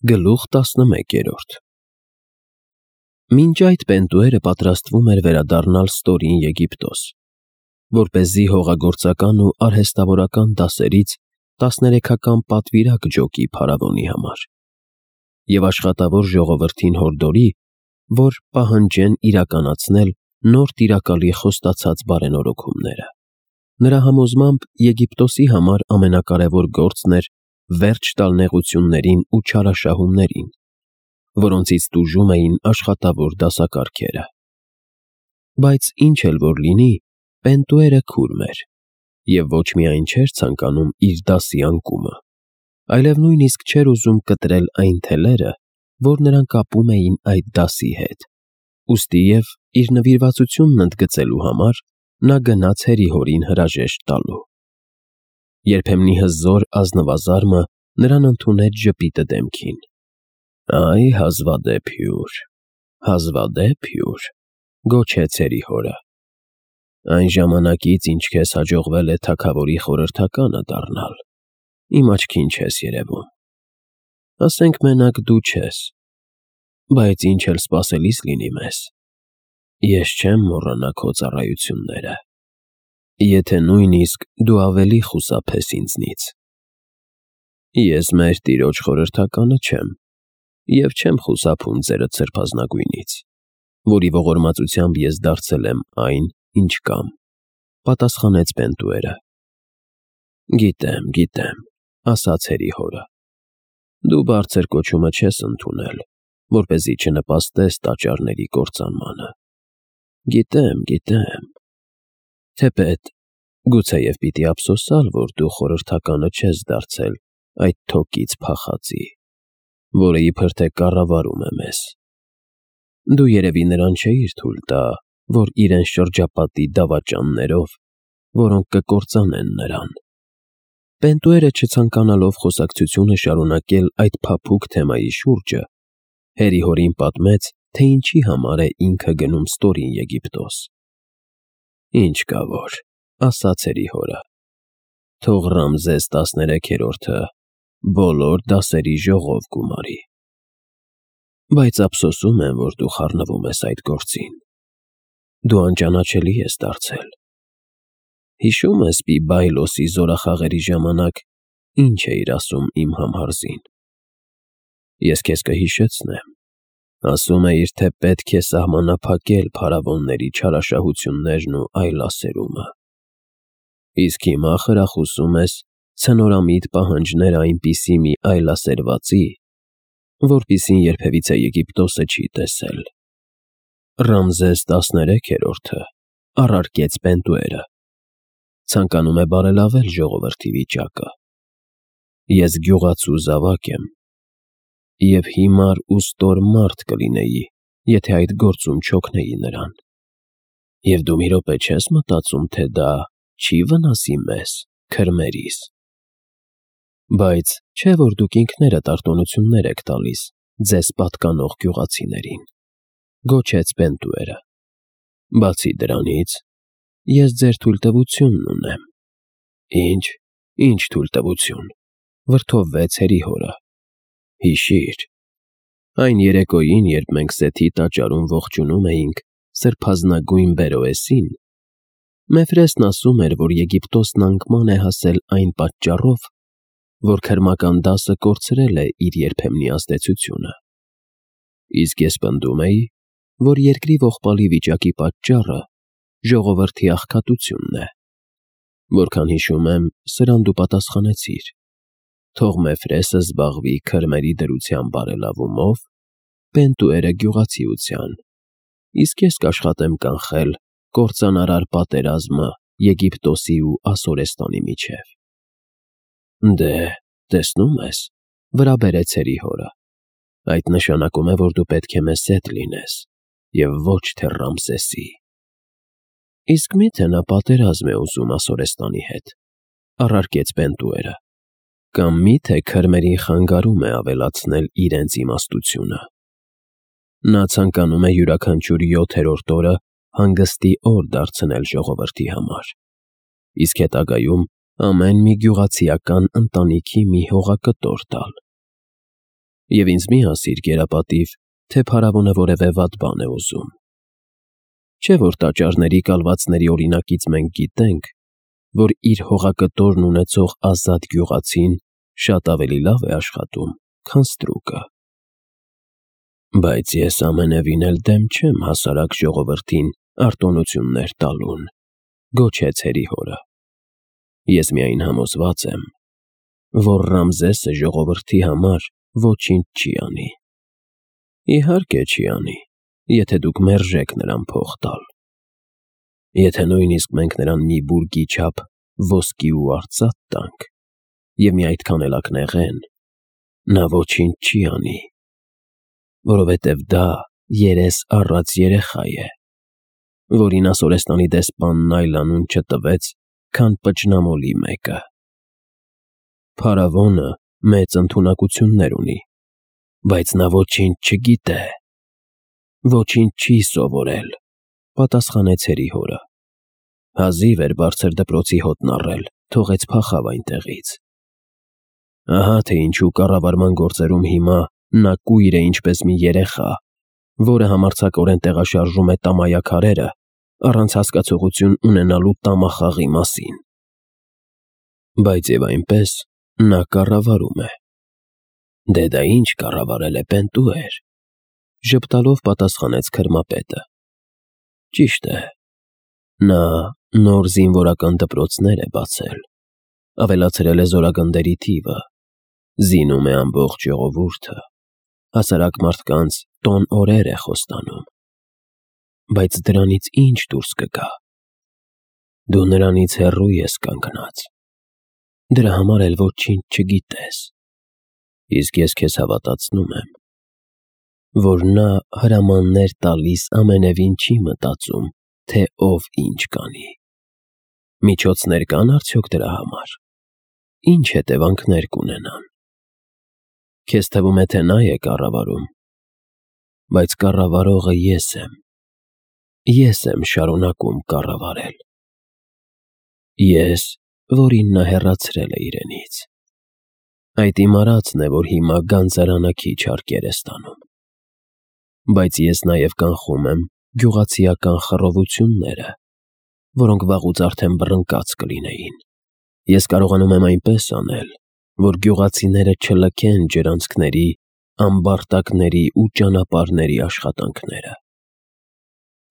Գլուխ 11 Մինչ այդ Պենտուերը պատրաստվում էր վերադառնալ ստորին Եգիպտոս, որպեսզի հողագործական ու արհեստավորական դասերից 13-ական պատվիրակ ջոկի փարավոնի համար և աշխատավոր ժողովրդին հորդորի, որ պահանջեն իրականացնել նոր տիրակալի խոստացած բարենորոգումները։ Նրա համոզմամբ Եգիպտոսի համար ամենակարևոր գործն էր վերջ տալ նեղություններին ու չարաշահումներին, որոնցից տուժում էին աշխատավոր դասակարգերը։ Բայց ինչ էլ որ լինի, Պենտուերը քուրմ էր և ոչ միայն չէր ցանկանում իր դասի անկումը, այլև նույնիսկ չէր ուզում կտրել այն թելերը, որ նրան կապում էին այդ դասի հետ, ուստի և իր նվիրվածությունն ընդգծելու համար նա գնաց հերիհորին հրաժեշտ տալու։ Երբեմնի հզոր ազնվազարմը նրան ընդունեց ժպիտը դեմքին։ «Այ հազվադեպ հյուր», գոչեց հերիհորը։ «Այն ժամանակից, ինչ քեզ հաջողվել է թագավորի խորհրդականը դառնալ, իմ աչքին չես երևում։ Ասենք մենակ դու չես, բայց ինչ էլ սպասելիս լինի մեզ, ես չեմ մոռանա քո ծառայությունները, եթե նույնիսկ դու ավելի խուսափես ինձնից։ Ես մեր տիրոջ խորհրդականը չեմ և չեմ խուսափում ձերդ սրբազնագույնից, որի ողորմածությամբ ես դարձել եմ այն, ինչ կամ», պատասխանեց Պենտուերը։ «Գիտեմ», ասաց հերիհորը, «դու բարձր կոչումը չես ընդունել, որպեսզի չնպաստես տաճարների կործանմանը։ Գիտեմ, թեպետ գուցեև պիտի ափսոսալ, որ դու խորհրդականը չես դարձել այդ թոկից փախածի, որը իբր թե կառավարում է մեզ։ Դու երևի նրան չէիր թույլ տա, որ իրեն շրջապատի դավաճաններով, որոնք կկործանեն նրան»։ Պենտուերը չցանկանալով խոսակցությունը շարունակել այդ փափուկ թեմայի շուրջը, հերիհորին պատմեց, թե ինչի համար է ինքը գնում ստորին Եգիպտոս։ «Ինչ կա որ», ասաց հերիհորը, «թող Ռամզես 13-րդը բոլոր դասերի ժողով գումարի։ Բայց ափսոսում եմ, որ դու խառնվում ես այդ գործին։ Դու անճանաչելի ես դարձել։ Հիշո՞ւմ ես Պիբայլոսի զորախաղերի ժամանակ ինչ էիր ասում իմ համհարզին։ Ես քեզ կհիշեցնեմ։ Ասում էիր, թե պետք է սահմանափակել փարավոնների չարաշահություններն ու այլասերումը։ Իսկ հիմա խրախուսում ես ցնորամիտ պահանջներ այնպիսի մի այլասերվածի, որպիսին երբևիցե Եգիպտոսը չի տեսել»։ Ռամզես 13-րդը առարկեց Պենտուերը, ցանկանում է բարելավել ժողովրդի վիճակը։ Ես գյուղացու զավակ եմ և հիմար ու ստոր մարդ կլինեի, եթե այդ գործում չօգնեի նրան։ Եվ դու մի րոպե չես մտածում, թե դա չի վնասի մեզ, քրմերիս։ Բայց չէ՞ որ դուք ինքներդ արտոնություններ եք տալիս ձեզ պատկանող գյուղացիներին, գոչեց Պենտուերը։ Բացի դրանից, ես ձեր թույլտվությունն ունեմ։ Ինչ թույլտվություն, վրդովվեց հերիհորը։ Հիշիր, այն երեկոյին, երբ մենք Սեթի տաճարում ողջունում էինք սրբազնագույն Բերոեսին, Մեֆրեսն ասում էր, որ Եգիպտոսն անկման է հասել այն պատճառով, որ քրմական դասը կորցրել է իր երբեմնի ազդեցությունը։ Իսկ ես պնդում էի, որ երկրի ողբալի վիճակի պատճառը ժողովրդի աղքատությունն է։ Որքան հիշում եմ, սրան դու պատասխանեցիր. թող Մեֆրեսը զբաղվի քրմերի դրության բարելավումով, Պենտուերը գյուղացիության, իսկ ես կաշխատեմ կանխել կործանարար պատերազմը Եգիպտոսի ու Ասորեստանի միջև։ Դե, տեսնում ես, վրա բերեց հերիհորը, այդ նշանակում է, որ դու պետք է մեզ հետ լինես և ոչ թե Ռամզեսի։ Իսկ մի՞թե նա պատերազմ է ուզում Ասորեստանի հետ, առարկեց Պենտուերը, կամ մի՞թե քրմերին խանգարում է ավելացնել իրենց իմաստությունը։ Նա ցանկանում է յուրաքանչյուր 7-րդ օրը հանգստի օր դարձնել ժողովրդի համար, իսկ հետագայում ամեն մի գյուղացիական ընտանիքի մի հողակտոր տալ։ Եվ ինձ մի ասիր, գերապատիվ, թե փարավոնը որևէ վատ բան է ուզում։ Չէ՞ որ տաճարների կալվածների օրինակից մենք գիտենք, որ իր հողակտորն ունեցող ազատ գյուղացին շատ ավելի լավ է աշխատում, քան ստրուկը։ Բայց ես ամենևին էլ դեմ չեմ հասարակ ժողովրդին արտոնություններ տալուն, գոչեց հորը։ Ես միայն համոզված եմ, որ Ռամզեսը ժողովրդի համար ոչինչ չի անի։ Իհարկե չի անի, եթե դուք մերժեք նրան փող տալ։ Եթե նույնիսկ մենք նրան մի բուրգի չափ ոսկի ու արծաթ տանք, և մի այդքան էլ ակնեղեն, նա ոչինչ չի անի, որովհետև դա երես առած երեխա է, որին Ասորեստանի դեսպանն այլ անուն չտվեց, քան պճնամոլի մեկը։ Փարավոնը մեծ ընդունակություններ ունի, բայց նա ոչինչ չգիտե, ոչինչ չի սովորել, պատասխանեց հորը։ Հազիվ էր բարձր դպրոցի հոտն առել, թողեց փախավ այնտեղից։ Ահա թե ինչու կառավարման գործերում հիմա նա կույր է ինչպես մի երեխա, որը համարձակորեն տեղաշարժում է տամայաքարերը, առանց հասկացողություն ունենալու տամախաղի մասին։ Բայց և այնպես նա կառավարում է։ Դե դա ինչ կառավարել է, պենտուեր, ժպտալով պատասխանեց քրմապետը։ Ճիշտ է, նա նոր զինվորական դպրոցներ է բացել, ավելացրել է զորագնդերի թիվը, զինում է ամբողջ ժողովուրդը, հասարակ մարդկանց տոն օրեր է խոստանում։ Բայց դրանից ինչ դուրս կգա։ Դու նրանից հեռու ես կանգնած, դրա համար էլ ոչինչ չգիտես, իսկ ես քեզ հավատացնում եմ, որ նա հրամաններ տալիս ամենևին չի մտածում, թե ով ինչ կանի։ Միջոցներ կան արդյոք դրա համար, ինչ հետևանքներ կունենան։ Քեզ թվում է, թե նա է կառավարում, բայց կառավարողը ես եմ։ Ես եմ շարունակում կառավարել։ Ես, որին նա հեռացրել է իրենից։ Այդ իմ արածն է, որ հիմա գանձարանը քիչ հարկեր է ստանում։ Բայց ես նաև կանխում եմ գյուղացիական խռովությունները, որոնք վաղուց արդեն բռնկած կլինեին։ Ես կարողանում եմ այնպես անել, որ գյուղացիները չլքեն ջրանցքների, ամբարտակների ու ճանապարհների աշխատանքները։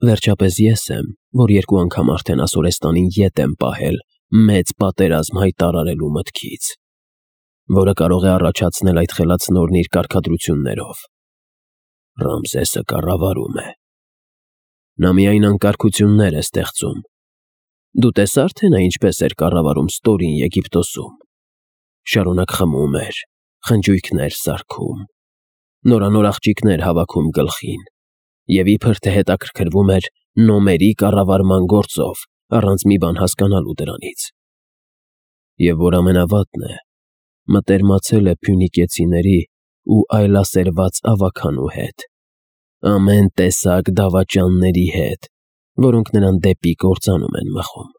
Վերջապես ես եմ, որ 2 անգամ արդեն Ասորեստանին ետ եմ պահել մեծ պատերազմ հայտարարելու մտքից, որը կարող է առաջացնել այդ խելացնորն իր կարգադրություններով։ Ռամզեսը կառավարում է։ Նա միայն անկարգություններ է ստեղծում։ Դու տեսա՞ր, թե նա ինչպես էր կառավարում ստորին Եգիպտոսում։ Շարունակ խմում էր, խնջույքներ սարքում, նորանոր աղջիկներ հավաքում գլխին, և իբր թե հետաքրքրվում էր նոմերի կառավարման գործով, առանց մի բան հասկանալու դրանից։ Եվ որ ամենավատն է, մտերմացել է փյունիկեցիների ու այլասերված ավագանու հետ, ամեն տեսակ դավաճանների հետ, որոնք նրան դեպի կործանում են մղում։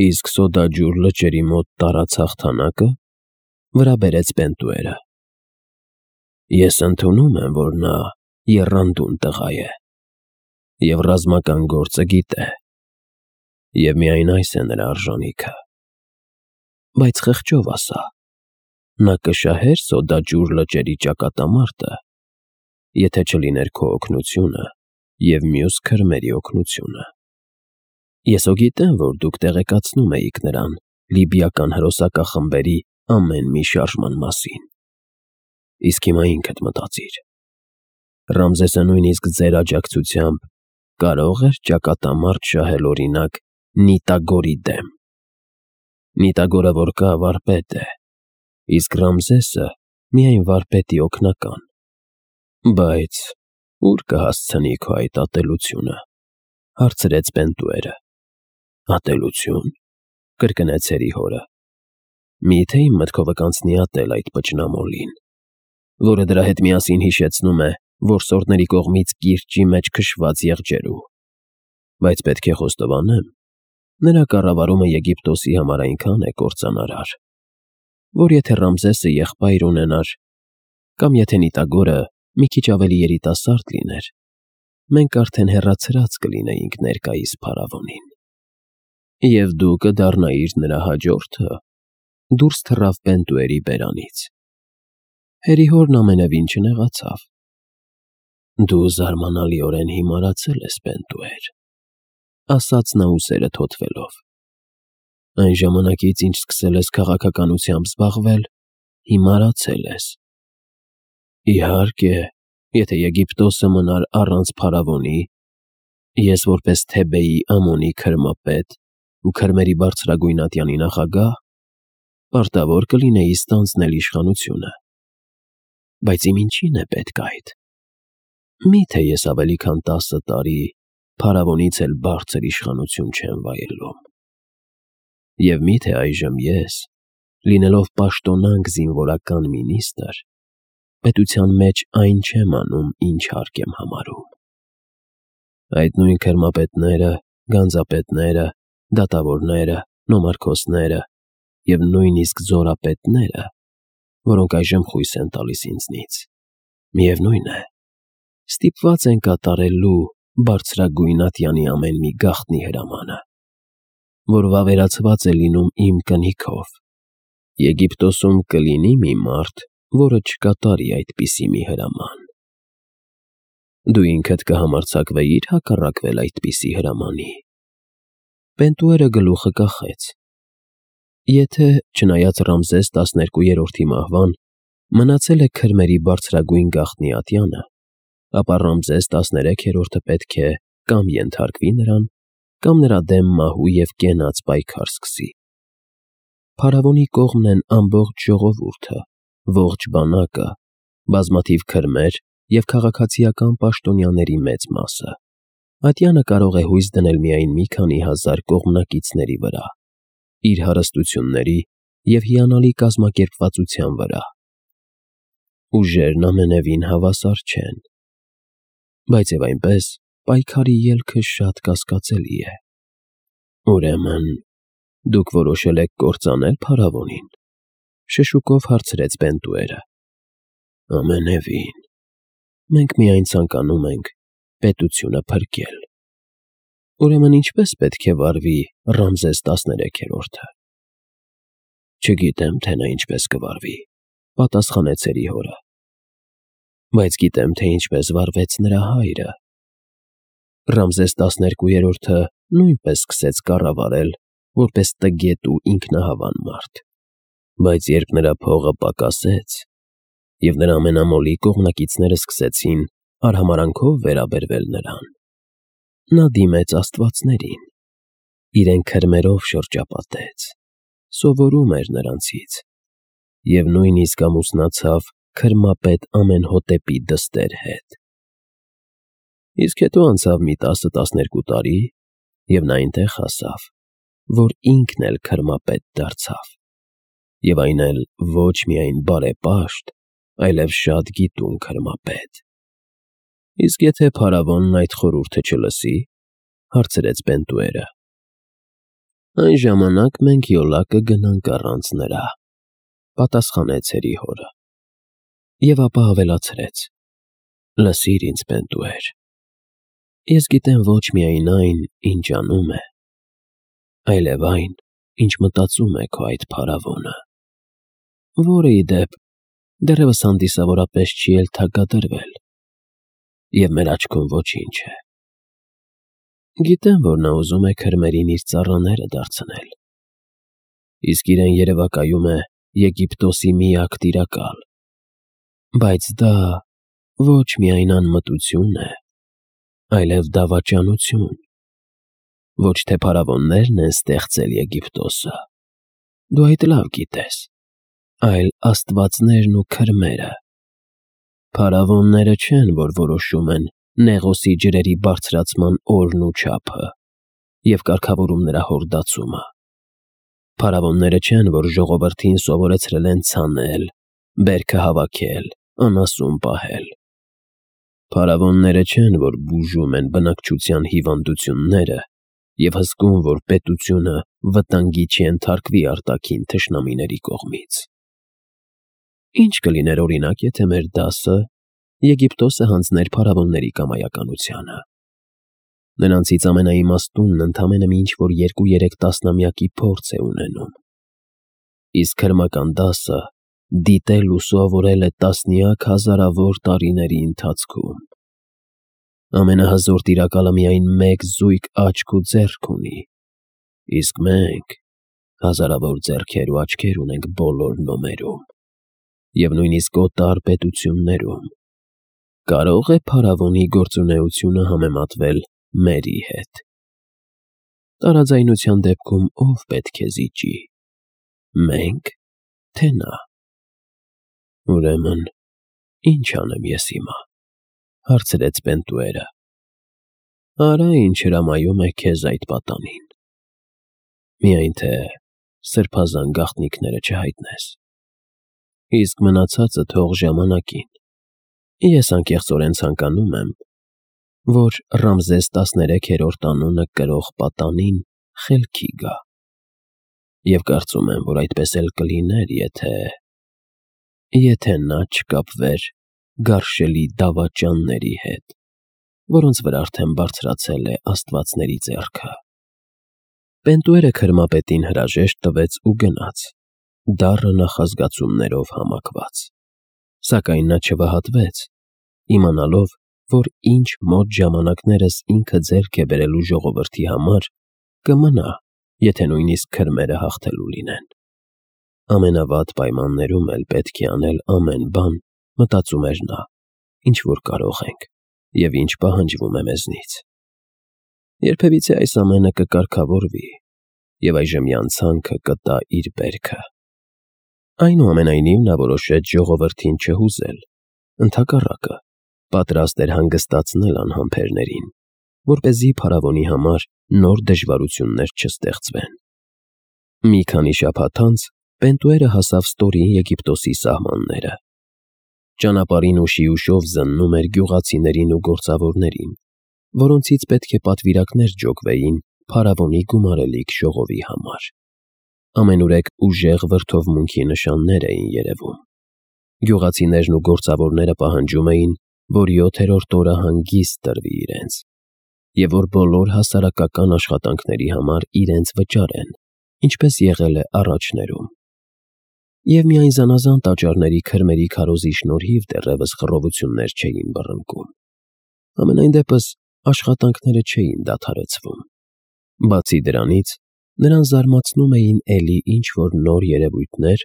Իսկ Սոդաջուր լճերի մոտ տարած հաղթանակը, վրա բերեց Պենտուերը։ Ես ընդունում եմ, որ նա եռանդուն տղա է և ռազմական գործը գիտե, և միայն այս է նրա արժանիքը։ Բայց խղճով ասա, նա կշահե՞ր Սոդաջուր լճերի ճակատամարտը, եթե չլիներ քո օգնությունը և մյուս քրմերի օգնությունը։ Ես հո գիտեմ, որ դուք տեղեկացնում էիք նրան լիբիական հրոսակախմբերի ամեն մի շարժման մասին։ Իսկ հիմա ինքդ մտածիր. Ռամզեսը նույնիսկ ձեր աջակցությամբ կարո՞ղ էր ճակատամարտ շահել օրինակ Նիտագորի դեմ։ Նիտագորը որ կա, վարպետ է, իսկ Ռամզեսը միայն վարպետի օգնական։ Բայց ո՞ւր կհասցնի քո այդ ատելությունը, հարցրեց Պենտուերը։ Ատելություն, կրկնեց հորը։ Միթե իմ մտքովը կանցնի ատել այդ պճնամոլին, որը դրա հետ միասին հիշեցնում է որսորդների կողմից կիրճի մեջ քշված եղջերու։ Բայց պետք է խոստովանեմ, նրա կառավարումը Եգիպտոսի համար այնքան է կործանարար, որ եթե Ռամզեսը եղբայր ունենար, Կամ եթե Նիտագորը մի քիչ ավելի երիտասարդ լիներ, մենք արդեն հեռացրած կլինեինք ներկայիս փարավոնին։ Եվ դու կդառնայիր նրա հաջորդը, դուրս թռավ Պենտուերի բերանից։ Հերի հորն ամենևին չնեղացավ։ Դու զարմանալիորեն հիմարացել ես, Պենտուեր, ասաց նա ուսերը թոթվելով։ Այն ժամանակից, ինչ սկսել ես քաղաքականությամբ զբաղվել, հիմարացել ես։ Իհարկե, եթե Եգիպտոսը մնար առանց փարավոնի, ես որպես Թեբեի Ամոնի քրմապետ ու քրմերի բարձրագույն ատյանի նախագահ, պարտավոր կլինեի ստանձնել իշխանությունը։ Բայց իմ ինչին է պետք այդ։ Միթե ես ավելի քան 10 տարի փարավոնից էլ բարձր իշխանություն չեմ վայելում։ Եվ միթե այժմ ես, լինելով պաշտոնանկ զինվորական մինիստրը, պետության մեջ այն չեմ անում, ինչ հարկ եմ համարում։ Այդ նույն քրմապետները, գանձապետները, դատավորները, նոմարքոսները և նույնիսկ զորապետները, որոնք այժմ խույս են տալիս ինձնից, միևնույն է, ստիպված են կատարելու բարձրագույն ատյանի ամեն մի գաղտնի հրամանը, որ վավերացված է լինում իմ կնիքով։ Եգիպտոսում կլինի մի մարդ, որը չկատարի այդպիսի մի հրաման։ Դու ինքդ կհամարձակվեիր հակառակվել այդպիսի հրամանի։ Պենտուերը գլուխը կախեց։ Եթե, չնայած Ռամզես 12-րդի մահվան, մնացել է քրմերի բարձրագույն գաղտնի ատյանը, ապա Ռամզես 13-րդը պետք է կամ ենթարկվի նրան, կամ նրա դեմ մահու և կենաց պայքար սկսի։ Փարավոնի կողմն են ամբողջ ժողովուրդը, ողջ բանակը, բազմաթիվ քրմեր և քաղաքացիական պաշտոնյաների մեծ մասը։ Ատյանը կարող է հույս դնել միայն մի քանի հազար կողմնակիցների վրա, իր հարստությունների և հիանալի կազմակերպվածության վրա։ Ուժերն ամենևին հավասար չեն։ Բայց և այնպես, պայքարի ելքը շատ կասկածելի է։ Ուրեմն, դուք որոշել եք կործանել փարավոնին, շշուկով հարցրեց Պենտուերը։ Ամենևին։ Մենք միայն ցանկանում ենք պետությունը փրկել։ Ուրեմն ինչպես պետք է վարվի Ռամզես 13-րդը։ Չգիտեմ, թե նա ինչպես կվարվի, պատասխանեց Հերի հորը։ Բայց գիտեմ, թե ինչպես վարվեց նրա հայրը։ Ռամզես 12-րդը նույնպես սկսեց կառավարել որպես տգետ ու ինքնահավան մարդ։ Բայց երբ նրա փողը պակասեց, և նրա ամենամոլի կողմնակիցները սկսեցին արհամարհանքով վերաբերվել նրան, նա դիմեց աստվածներին, իրեն քրմերով շրջապատեց, սովորում էր նրանցից և նույնիսկ ամուսնացավ քրմապետ Ամենհոտեպի դստեր հետ։ Իսկ հետո անցավ մի 10-12 տարի, և նա այնտեղ հասավ, որ ինքն էլ քրմապետ դարձավ, և այն էլ ոչ միայն բարեպաշտ, այլև շատ գիտուն քրմապետ։ Իսկ եթե փարավոնն այդ խորհուրդը չլսի, հարցրեց Պենտուերը։ Այն ժամանակ մենք յոլա կգնանք առանց նրա, պատասխանեց Հերի հորը։ Եվ ապա ավելացրեց. Լսիր ինձ, Պենտուեր, ես գիտեմ ոչ միայն այն, ինչ անում է, այլև այն, ինչ մտածում է քո այդ փարավոնը, որը, ի դեպ, դեռևս հանդիսավորապես չի էլ թագադրվել, և մեր աչքում ոչինչ է։ Գիտեմ, որ նա ուզում է քրմերին իր ծառաները դարձնել, իսկ իրեն երևակայում է Եգիպտոսի միակ տիրակալ, բայց դա ոչ միայն անմտություն է, այլև դավաճանություն։ Ոչ թե փարավոններն են ստեղծել Եգիպտոսը, դու այդ լավ գիտես, այլ աստվածներն ու քրմերը։ Փարավոնները չեն, որ որոշում են Նեղոսի ջրերի բարձրացման օրն ու չափը և կարգավորում նրա հորդացումը։ Փարավոնները չեն, որ ժողովրդին սովորեցրել են ցանել, բերքը հավաքել, անասուն պահել։ Փարավոնները չեն, որ բուժում են բնակչության հիվանդությունները և հսկում, որ պետությունը վտանգի չենթարկվի արտաքին թշնամիների կողմից։ Ինչ կլիներ օրինակ, եթե մեր դասը Եգիպտոսը հանձներ փարավոնների կամայականությանը։ Նրանցից ամենաիմաստունն ընդամենը ինչ-որ 2-3 տասնամյակի փորձ է ունենում։ Իսկ հրմական դասը դիտել ու սովորել է տասնյակ հազարավոր տարիների ընթացքում։ Ամենահզոր տիրակալը միայն մեկ զույգ աչք ու ձեռք ունի, իսկ մենք հազարավոր ձեռքեր ու աչքեր ունենք բոլոր նոմերում և նույնիսկ օտար պետություններում։ Կարո՞ղ է փարավոնի գործունեությունը համեմատվել մերի հետ։ Տարաձայնության դեպքում ով պետք է զիջի։ Մենք, թե նա։ Ուրեմն, ի՞նչ անեմ ես հիմա, հարցրեց Պենտուերը։ Արա ինչ հրամայում է քեզ այդ պատանին։ Միայն թե սրբազան գաղտնիքները չհայտնես։ Իսկ մնացածը թող ժամանակին։ Ես անկեղծորեն ցանկանում եմ, որ Ռամզես 13-րդ անունը կրող պատանին խելքի գա։ Եվ կարծում եմ, որ այդպես էլ կլիներ, եթե նա չկապվեր գարշելի դավաճանների հետ, որոնց վրա արդեն բարձրացել է աստվածների ձեռքը։ Պենտուերը քրմապետին հրաժեշտ տվեց ու գնաց, դառը նախազգացումներով համակված։ Սակայն նա չվհատվեց, իմանալով, որ ինչ մոտ ժամանակներս ինքը ձեռք է բերելու ժողովրդի համար, կմնա, եթե նույնիսկ քրմերը հաղթելու լինեն։ Ամենավատ պայմաններում էլ պետք է անել ամեն բան, մտածում էր նա, ինչ որ կարող ենք և ինչ պահանջվում է մեզնից։ Երբևիցե այս ամենը կկարգավորվի, և այժմյան ցանքը կտա իր բերքը։ Այնուամենայնիվ նա որոշեց ժողովրդին չհուզել, ընդհակառակը, պատրաստ էր հանգստացնել անհամբերներին, որպեսզի փարավոնի համար նոր դժվարություններ չստեղծվեն։ Մի քանի շաբաթ անց Պենտուերը հասավ ստորին Եգիպտոսի սահմանները։ Ճանապարհին ուշիուշով զննում էր գյուղացիներին ու գործավորներին, որոնցից պետք է պատվիրակներ ջոկվեին փարավոնի գումարելիք ժողովի համար։ Ամենուրեք ուժեղ վրդովմունքի նշաններ էին երևում։ Գյուղացիներն ու գործավորները պահանջում էին, որ 7-րդ օրը հանգիստ տրվի իրենց, և որ բոլոր հասարակական աշխատանքների համար իրենց վճարեն, ինչպես եղել է առաջներում։ Եվ միայն զանազան տաճարների քրմերի քարոզի շնորհիվ դեռևս խռովություններ չէին բռնկում։ Համենայն դեպս աշխատանքները չէին դադարեցվում։ Բացի դրանից, նրան զարմացնում էին էլի ինչ-որ նոր երևույթներ,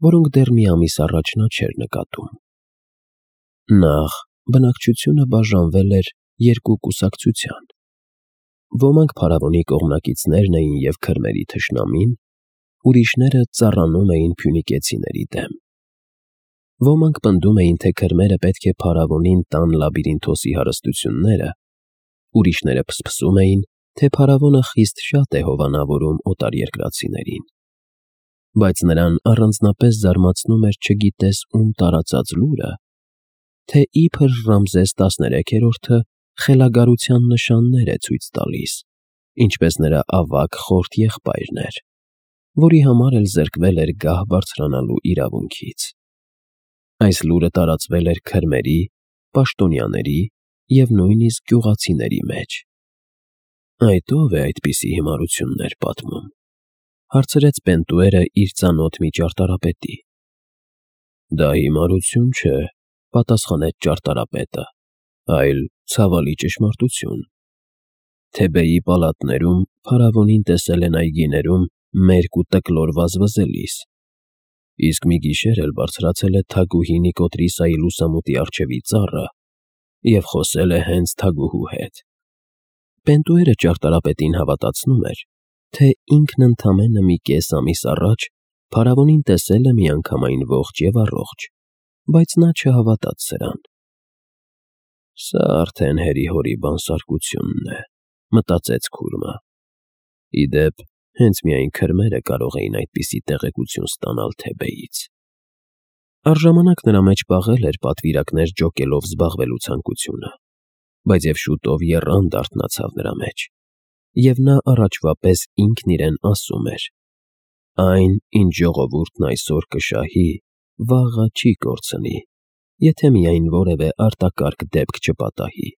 որոնք դեռ մի ամիս առաջ նա չէր նկատում։ Նախ, բնակչությունը բաժանվել էր երկու կուսակցության։ Ոմանք փարավոնի կողմնակիցներն էին և քրմերի թշնամին, ուրիշները ծառանում էին փյունիկեցիների դեմ։ Ոմանք պնդում էին, թե քրմերը պետք է փարավոնին տան Լաբիրինթոսի հարստությունները, ուրիշները փսփսում էին, թե փարավոնը խիստ շատ է հովանավորում օտարերկրացիներին։ Բայց նրան առանձնապես զարմացնում էր չգիտես ում տարածած լուրը, թե իբր Ռամզես 13-րդը խելագարության նշաններ է ցույց տալիս, ինչպես նրա ավագ խորթ եղբայրն էր, որի համար էլ զրկվել էր գահ բարձրանալու իրավունքից։ Այս լուրը տարածվել էր քրմերի, պաշտոնյաների և նույնիսկ գյուղացիների մեջ։ Այդ ո՞վ է այդպիսի հիմարություններ պատմում, հարցրեց Պենտուերը իր ծանոթ մի ճարտարապետի։ Դա հիմարություն չէ, պատասխանեց ճարտարապետը, այլ ցավալի ճշմարտություն։ Թեբեի պալատներում փարավոնին տեսել են այգիներում մերկ ու տկլոր վազվզելիս, իսկ մի գիշեր էլ բարձրացել է թագուհի Նիկոտրիսայի լուսամուտի առջևի ծառը և խոսել է հենց թագուհու հետ։ Պենտուերը ճարտարապետին հավատացնում էր, թե ինքն ընդամենը մի կես ամիս առաջ փարավոնին տեսել է միանգամայն ողջ և առողջ, բայց նա չհավատաց սրան։ Սա արդեն հերի-հորի բանսարկությունն է, մտածեց քուրմը։ Ի դեպ, հենց միայն քրմերը կարող էին այդպիսի տեղեկություն ստանալ Թեբեից։ Առժամանակ նրա մեջ պաղել էր պատվիրակներ ջոկելով զբաղվելու ցանկությունը, բայց և շուտով եռանդ արթնացավ նրա մեջ, և նա առաջվա պես ինքն իրեն ասում էր. այն, ինչ ժողովուրդն այսօր կշահի, վաղը չի կորցնի, եթե միայն որևէ արտակարգ դեպք չպատահի։